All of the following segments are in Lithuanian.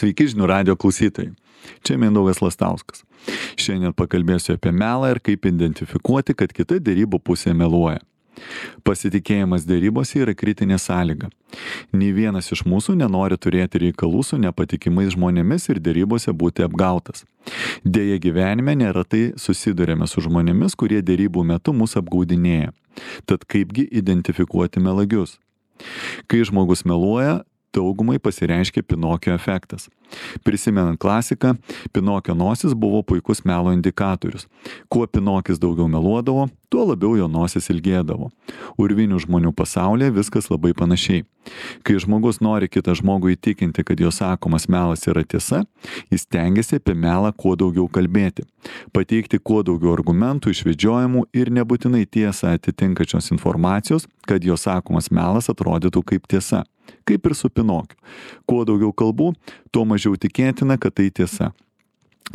Sveiki žinių radio klausytojai. Čia Mindaugas Lastauskas. Šiandien pakalbėsiu apie melą ir kaip identifikuoti, kad kita derybų pusė meluoja. Pasitikėjimas derybose yra kritinė sąlyga. Nė vienas iš mūsų nenori turėti reikalų su nepatikimais žmonėmis ir derybose būti apgautas. Deja, gyvenime neretai susidurėme su žmonėmis, kurie derybų metu mus apgaudinėja. Tad kaipgi identifikuoti melagius? Kai žmogus meluoja, daugumai pasireiškia Pinokio efektas. Prisimenant klasiką, Pinokio nosis buvo puikus melo indikatorius. Kuo Pinokis daugiau meluodavo, tuo labiau jo nosis ilgėdavo. Urvinių žmonių pasaulyje viskas labai panašiai. Kai žmogus nori kitą žmogų įtikinti, kad jo sakomas melas yra tiesa, jis stengiasi apie melą kuo daugiau kalbėti, pateikti kuo daugiau argumentų, išvedžiojimų ir nebūtinai tiesą atitinkačios informacijos, kad jo sakomas melas atrodytų kaip tiesa. Kaip ir su Pinokiu. Kuo daugiau kalbų, tuo mažiau tikėtina, kad tai tiesa.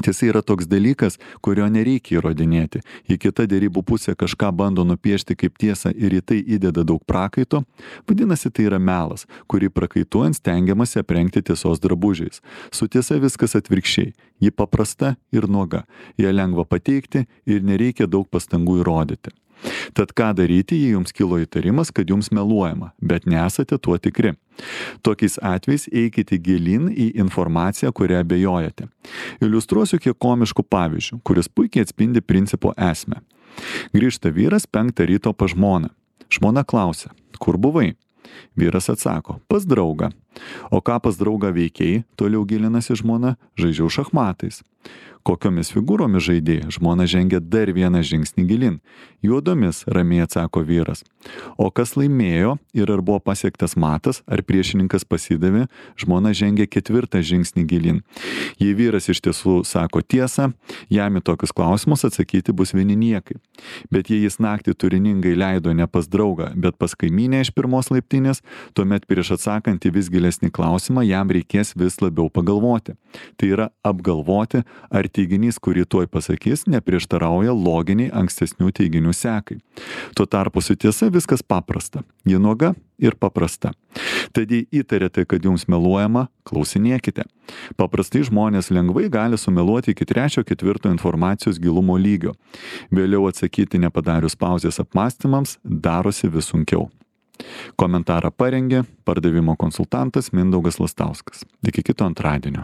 Tiesa yra toks dalykas, kurio nereikia įrodinėti. Jei kita derybų pusė kažką bando nupiešti kaip tiesą ir į tai įdeda daug prakaito, vadinasi tai yra melas, kurį prakaituojant stengiamasi aprengti tiesos drabužiais. Su tiesa viskas atvirkščiai. Ji paprasta ir nuoga. Ją lengva pateikti ir nereikia daug pastangų įrodyti. Tad ką daryti, jei jums kilo įtarimas, kad jums meluojama, bet nesate tuo tikri? Tokiais atvejais eikite gilin į informaciją, kurią abejojate. Iliustruosiu kiek komiškų pavyzdžių, kuris puikiai atspindi principo esmę. Grįžta vyras 5 ryto pas žmoną. Žmona klausia, kur buvai? Vyras atsako, pas draugą. O ką pas draugą veikiai, toliau gilinasi žmona, žaidžiau šachmatais. Kokiomis figūromis žaidėjai? Žmona žengia dar vieną žingsnį gilin. Juodomis, ramiai atsako vyras. O kas laimėjo ir ar buvo pasiektas matas, ar priešininkas pasidavė, žmona žengia 4 žingsnį gilin. Jei vyras iš tiesų sako tiesą, jam į tokius klausimus atsakyti bus vieni niekai. Bet jei jis naktį turiningai leido ne pas draugą, bet pas kaimynę iš 1 laiptinės, tuomet prieš atsakant į vis gilesnį klausimą jam reikės vis labiau pagalvoti. Tai yra apgalvoti, ar teiginys, kurį tuoj pasakys, neprieštarauja loginiai ankstesnių teiginių sekai. Tuo tarpu su tiesa viskas paprasta. Ji nuoga ir paprasta. Tad jei įtarėte, kad jums meluojama, klausinėkite. Paprastai žmonės lengvai gali sumeluoti iki 3-4 informacijos gilumo lygio. Vėliau atsakyti nepadarius pauzės apmąstymams darosi vis sunkiau. Komentarą parengė pardavimo konsultantas Mindaugas Lastauskas. Iki kito antradienio.